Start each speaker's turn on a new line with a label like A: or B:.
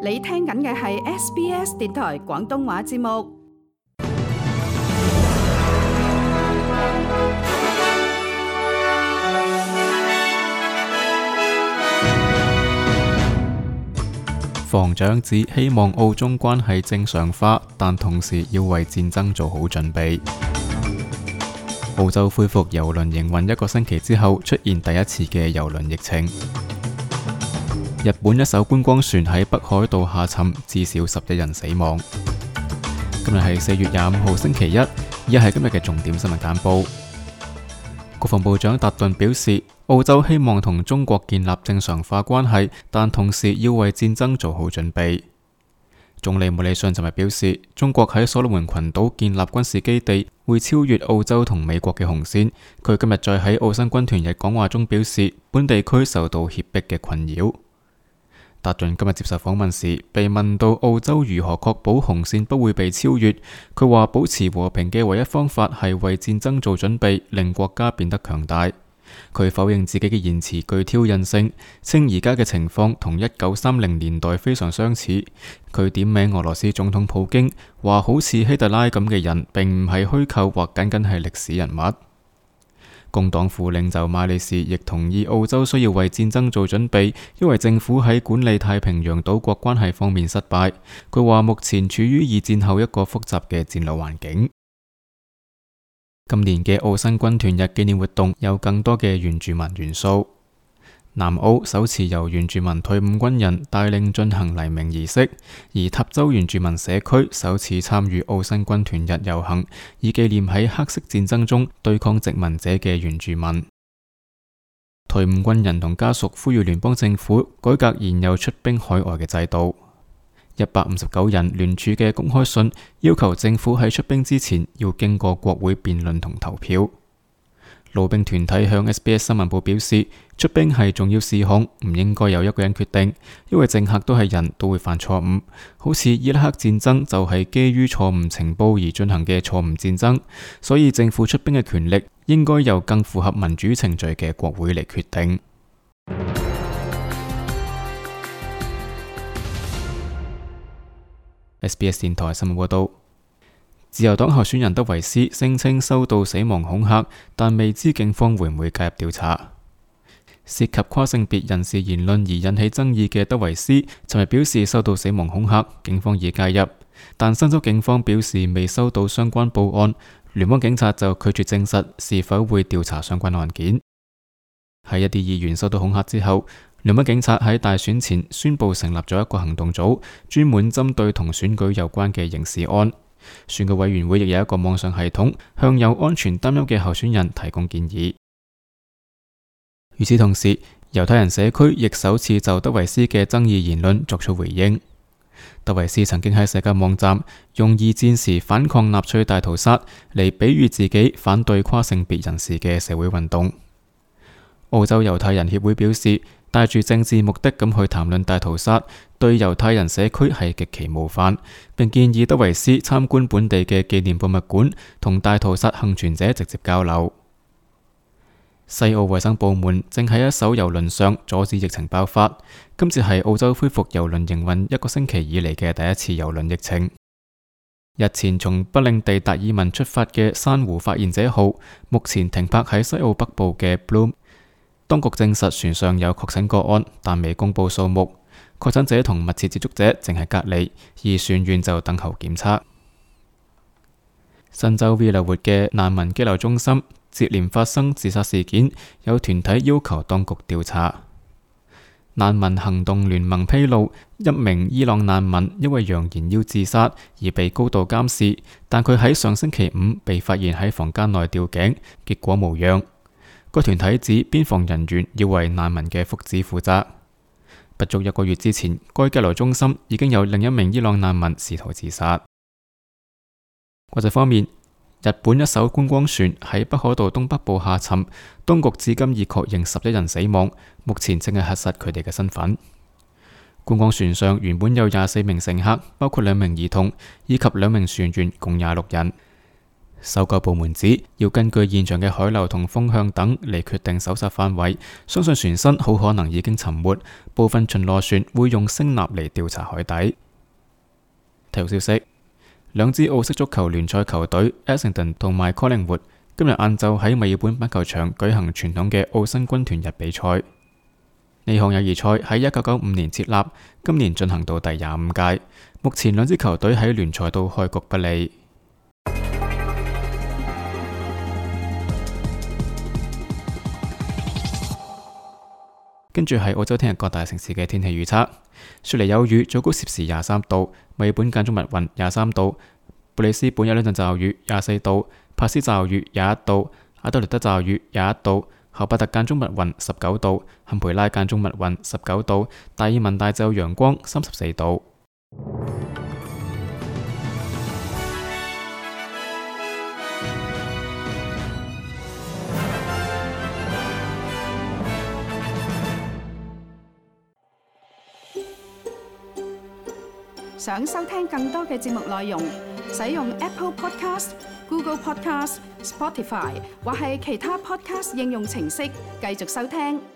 A: 你聽緊嘅係 SBS 電台廣東話節目。
B: 防長指希望澳中關係正常化，但同時要為戰爭做好準備。澳洲恢復郵輪營運1個星期之後，出現第一次嘅郵輪疫情。日本一艘觀光船喺北海道下沉，至少11人死亡。今日係4月25號星期一，以下係今日嘅重點新聞簡報。國防部長達頓表示，澳洲希望同中國建立正常化關係，但同時要為戰爭做好準備。總理莫里遜尋日表示，中國喺所羅門群島建立軍事基地會超越澳洲同美國嘅紅線。佢今日再喺澳新軍團日講話中表示，本地區受到脅迫嘅困擾。達頓今日接受訪問時，被問到澳洲如何確保紅線不會被超越，佢話保持和平嘅唯一方法係為戰爭做準備，令國家變得強大。佢否認自己嘅言辭具挑釁性，稱而家嘅情況同1930年代非常相似。佢點名俄羅斯總統普京，話好似希特拉咁嘅人並唔係虛構或僅僅係歷史人物。工黨副領袖馬里士亦同意澳洲需要為戰爭做準備，因為政府喺管理太平洋島國關係方面失敗。佢話目前處於二戰後一個複雜嘅戰略環境。今年嘅澳新軍團日紀念活動有更多嘅原住民元素。南澳首次由原住民退伍軍人帶領進行黎明儀式，而塔州原住民社區首次參與澳新軍團日遊行，以紀念喺黑色戰爭中對抗殖民者嘅原住民。退伍軍人同家屬呼籲聯邦政府改革現有出兵海外嘅制度。159人聯署嘅公開信要求政府喺出兵之前要經過國會辯論同投票。路兵團體向 SBS 新聞部表示，出兵係重要事項，唔應該由一個人決定，因為政客都係人，都會犯錯誤。好似伊拉克戰爭就係基於錯誤情報而進行嘅錯誤戰爭，所以政府出兵嘅權力應該由更符合民主程序嘅國會嚟決定。SBS 電台新聞報道。自由黨候選人德維斯聲稱收到死亡恐嚇，但未知警方會唔會介入調查。涉及跨性別人士言論而引起爭議嘅德維斯尋日表示收到死亡恐嚇，警方已介入，但新州警方表示未收到相關報案，聯邦警察就拒絕證實是否會調查相關案件。喺一啲議員受到恐嚇之後，聯邦警察喺大選前宣布成立咗一個行動組，專門針對同選舉有關嘅刑事案。選舉委員會亦有一個網上系統，向有安全擔憂嘅候選人提供建議。與此同時，猶太人社區亦首次就德維斯嘅爭議言論作出回應。德維斯曾經喺社交網站用二戰時反抗納粹大屠殺嚟比喻自己反對跨性別人士嘅社會運動。澳洲猶太人協會表示，帶住政治目的咁去談論大屠殺，對猶太人社區係極其冒犯，並建議德維斯參觀本地嘅紀念博物館，同大屠殺幸存者直接交流。西澳衛生部門正喺一艘郵輪上阻止疫情爆發，今次係澳洲恢復郵輪營運1個星期以嚟嘅第一次郵輪疫情。日前從不領地達爾文出發嘅珊瑚發現者號，目前停泊喺西澳北部嘅 Bloom。當局證實船上有確診個案，但未公布數目。確診者同密切接觸者正係隔離，而船員就等候檢測。新州 Villawood 嘅難民羈留中心接連發生自殺事件，有團體要求當局調查。難民行動聯盟披露，一名伊朗難民因為揚言要自殺而被高度監視，但佢喺上星期5被發現喺房間內吊頸，結果無恙。該團體指邊防人員要為難民嘅福祉負責。不足1個月之前，該羈留中心已經有另一名伊朗難民試圖自殺。國際方面，日本一艘觀光船喺北海道東北部下沉，當局至今已確認11人死亡，目前正係核實佢哋嘅身份。觀光船上原本有24名乘客，包括2名兒童以及2名船員，共26人。搜救部門指要根據現場嘅海流同風向等嚟決定搜索範圍，相信船身好可能已經沉沒，部分巡邏船會用聲納嚟調查海底。體育消息，兩支澳式足球聯賽球隊 Essendon 同埋 Collingwood 今日晏晝喺墨爾本板球場舉行傳統嘅澳新軍團日比賽。呢項友誼賽喺1995年設立，今年進行到第25屆。目前兩支球隊喺聯賽都開局不利。跟住係澳洲聽日各大城市嘅天氣預測：雪梨有雨，最高攝氏23度；墨爾本間中密雲23度；布里斯本有兩陣驟雨24度；帕斯驟雨21度；阿德萊德驟雨21度；荷伯特間中密雲19度；坎培拉間中密雲19度；達爾文大晝陽光34度。
A: 想收聽更多嘅節目內容，使用 Apple Podcast、Google Podcast、Spotify 或係其他 Podcast 應用程式繼續收聽。